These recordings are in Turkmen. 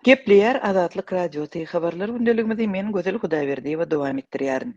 Gepleýär Azatlyk Radiosy, Habarlar gündeligimizi men Gözel Hudaýberdiýewa dowam etdirýärin.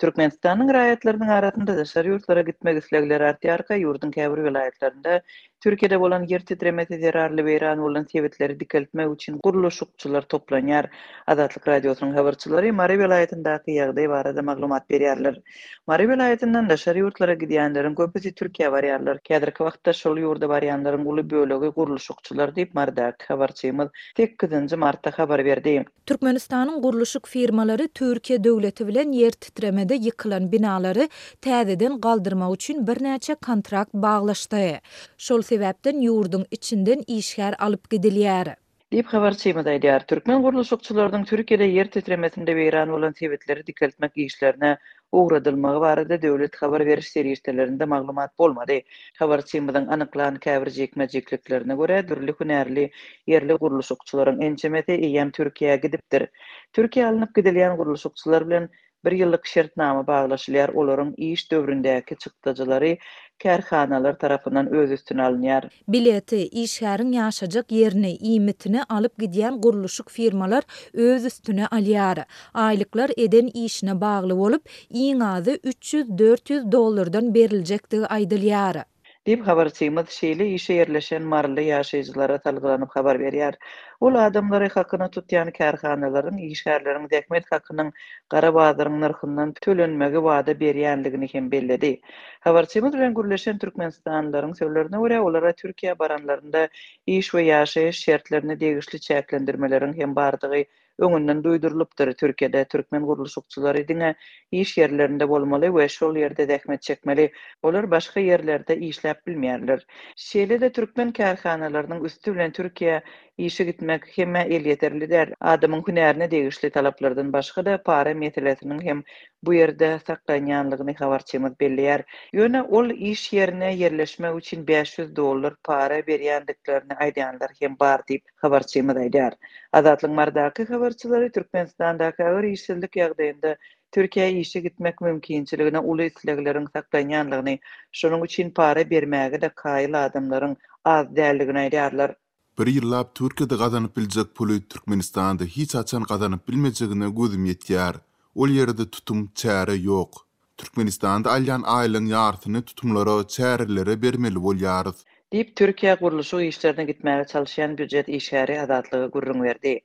Türkmenistanyň raýatlarynyň arasynda daşary ýurtlara gitmek islegleri artýarka, ýurduň käbir welaýatlarynda Türkiýede bolan ýer titremesi zerarly weýran bolan sebitleri dikeltmek üçin gurluşykçylar toplanýar. Azatlyk Radiosynyň habarçylary Mary welaýatyndaky ýagdaý barada maglumat berýärler. Mary welaýatyndan daşary ýurtlara gidýänleriň köpüsi Türkiýä barýarlar. Häzirki wagtda şol ýurda barýanlaryň uly bölegi gurluşykçylar diýip, Marydaky habarçymyz sekizinji martda habar berdi. Türkmenistanyň gurluşyk firmalary Türkiýe döwleti bilen ýer titremede ýykylan binalary täzeden galdyrmak üçin birnäçe kontrakt baglaşdy. Şol sebäpden ýurduň içinden işgär alyp gidilýär. Diýip, habarçymyz aýdýar. Türkmen gurluşykçylarynyň Türkiýede ýer titremesinde weýran bolan sebitleri dikeltmek işlerine ugradylmagy barada döwlet habar beriş serişdelerinde maglumat bolmady. Habarçymyzyň anyklan käbir jikme-jikliklerine görä, dürli hünärli ýerli gurluşykçylaryň ençemesi eýýäm Türkiýä gidipdir. Türkiýä alnyp gidilýän gurluşykçylar bilen bir ýyllyk şertnama baglaşylýar, olaryň iş döwründäki çykdajylary kärhanalar tarapyndan öz üstüne alynýar. Bileti, işgäriň ýaşajak ýerini, iýmitini alyp gidýän gurluşyk firmalar öz üstüne alýar. Aýlyklar eden işine bagly bolup, iň azy 300-400 dollardan beriljekdigi aýdylýar. Diýip, habarçymyz şeýle işe ýerleşen maryly ýaşaýjylara salgylanyp habar berýär. Ol adamlary hakyna tutýan kärhanalaryň işgärleriň zähmet hakynyň gara bazaryň nyrhyndan tölenmegi wada berýändigini hem belledi. Habarçymyz bilen gürleşen türkmenistanlylaryň sözlerine görä, olara Türkiýä baranlarynda iş we ýaşaýyş şertlerine degişli çäklendirmeleriň hem bardygy öňünden duýdurylypdyr. Türkiýede türkmen gurluşykçylary diňe iş ýerlerinde bolmaly we şol ýerde zähmet çekmeli. Olar başga ýerlerde işläp bilmeýärler. Şeýle-de türkmen kärhanalarynyň üsti bilen Türkiýä işe gitmek hemmä elýeterli däl. Adamyň hünärine degişli talaplardan başga-da para meselesiniň hem bu ýerde saklanýanlygyny habarçymyz belleýär. Ýöne ol iş ýerine ýerleşmek üçin 500 dollar para berýändiklerini aýdýanlar hem bar diýip, habarçymyz aýdýar. Azatlygyň Marydaky habarçylary Türkmenistandaky agyr işsizlik ýagdaýynda Türkiýä işe gitmek mümkinçiligine uly islegleriň saklanýanlygyny, şonuň üçin para bermäge-de kaýyl adamlaryň az däldigini aýdýarlar. Bir ýyllap Türkiýede gazanyp biljek puly Türkmenistanda hiç haçan gazanyp bilmejegine gözüm ýetýär. Ol ýerde tutum, çäre ýok. Türkmenistanda alýan aýlygyň ýarsyny tutumlara, çärelere bermeli bolýarys. Diýip, Türkiýä gurluşyk işlerine gitmäge çalyşýan býujet işgäri Azatlyga gürrüň berdi.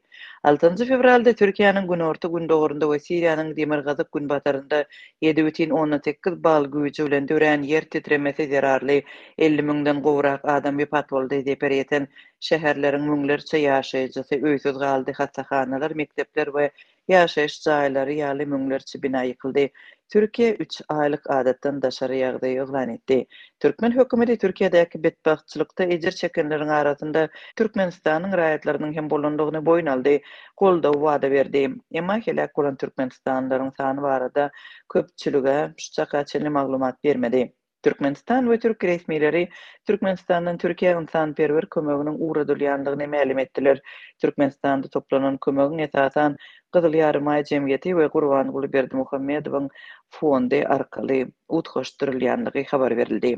Altynjy fewralda Türkiýäniň günorta-gündogarynda we Siriýanyň demirgazyk-günbatarynda 7,8 bal güýji bilen dörän ýer titremesi zerarly 50 müňden gowrak adam wepat boldy, zeper ýeten şäherleriň müňlerçe ýaşaýjysy öýsüz galdy, hassahanalar, mekdepler we Ýaşaýyş jaýlary ýaly müňlerçe bina ýykyldy. Türkiýe üç aýlyk adatdan daşary ýagdaý yglan etdi. Türkmen hökümeti Türkiýedäki betbagtçylykda ejir çekenleriň arasynda Türkmenistanyň raýatlarynyň hem bolandygyny boýun aldy, goldaw wada berdi. Emma heläk bolan türkmenistanlylaryň sany barada köpçülige şu çaka çenli maglumat bermedi. Türkmenistan we türk resmileri Türkmenistandan Türkiýä ynsanperwer kömeginiň ugradylýandygyny mälim etdiler. Türkmenistanda toplanan kömegiň esasan Gyzyl Ýarymaý jemgyýeti we Gurbanguly Berdimuhamedowyň fondy arkaly utgaşdyrylýandygy habar berildi.